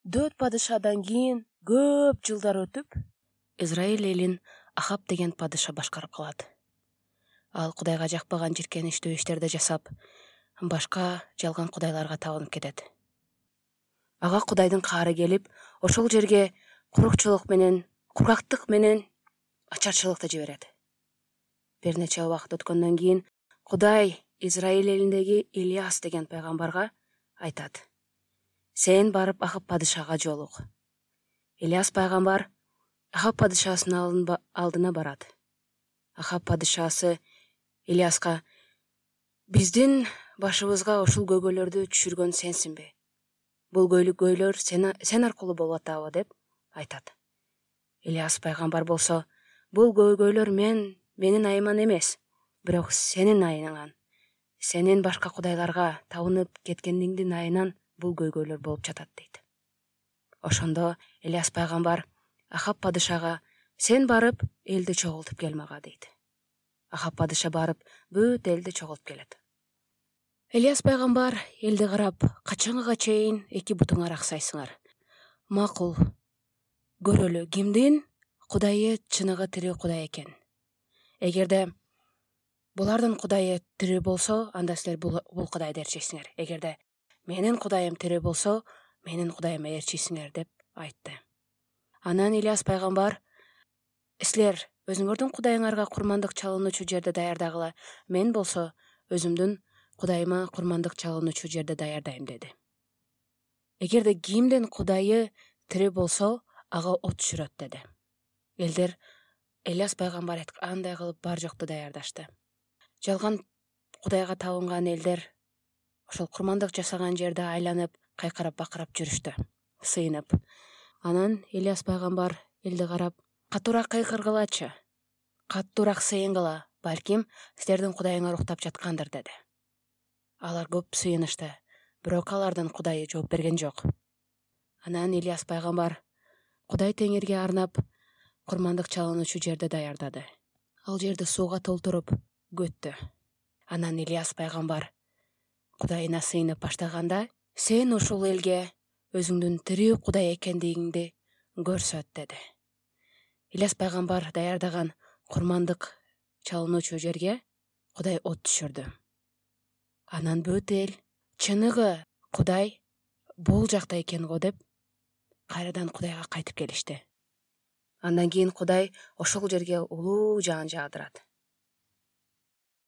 4 падышадан кийин көп жылдар өтүп, Израиль элин Ахаб деген падыша башкарып калат. Ал Кудайга жакпаган жиркеничтүү иштерди жасап, башка жалган кудайларга табынып кетет. Ага Кудайдын каары келип, ошол жерге кургактык менен ачарчылыкты жиберет. Бир нече убакыт өткөндөн кийин Кудай Израиль элиндеги Ильяс деген пайгамбарга айтат: сен барып Ахаб падышага жолук. Ильяс пайгамбар Ахаб падышасынын алдына барат. Ахаб падышасы Ильяска: биздин башыбызга ушул көйгөйлөрдү түшүргөн сенсиңби? Бул көйгөйлөр сен аркылуу болуп атабы деп айтат. Ильяс пайгамбар болсо: бул көйгөйлөр менин айыман эмес, бирок сенин айыңан, сенин башка кудайларга табынып кеткениңдин айынан бул көйгөйлөр болуп жатат дейт. Ошондо Ильяс пайгамбар Ахаб падышага: сен барып элди чогултуп кел мага дейт. Ахаб падыша барып бүт элди чогултуп келет. Ильяс пайгамбар элди карап: качанга чейин эки бутуңар аксайсыңар? Макул, көрөлү кимдин Кудайы чыныгы тирүү Кудай экен. Эгерде булардын Кудайы тирүү болсо, анда силер бул Кудайды ээрчисиңер. Эгерде менин Кудайым тирүү болсо, менин Кудайыма ээрчисиңер деп айтты. Анан Ильяс пайгамбар: силер өзүңөрдүн Кудайыңарга курмандык чалынуучу жерди даярдагыла, мен болсо өзүмдүн Кудайыма курмандык чалынуучу жерди даярдайм деди. Эгерде кимдин Кудайы тирүү болсо, ага от түшүрөт деди. Элдер Ильяс пайгамбар айткандай кылып бар жокту даярдашты. Жалган Кудайга табынган элдер ошол курмандык жасаган жерди айланып, кайкырап бакырап жүрүштү, сыйынып. Анан Ильяс пайгамбар элди карап: катуураак кыйкыргылачы, катуураак сыйынгыла, балким силердин Кудайыңар уктап жаткандыр деди. Алар көп сыйынышты, бирок алардын Кудайы жооп берген жок. Анан Ильяс пайгамбар Кудай Теңирге арнап курмандык чалынуучу жерди даярдады. Ал жерди сууга толтуруп көттү. Анан Ильяс пайгамбар Кудайына сыйынып баштаганда: сен ушул элге өзүңдүн тирүү Кудай экендигиңди көрсөт деди. Ильяс пайгамбар даярдаган курмандык чалынуучу жерге Кудай от түшүрдү. Анан бүт эл чыныгы Кудай бул жакта экен го деп кайрадан Кудайга кайтып келишти. Андан кийин Кудай ошол жерге улуу жаан жаадырат.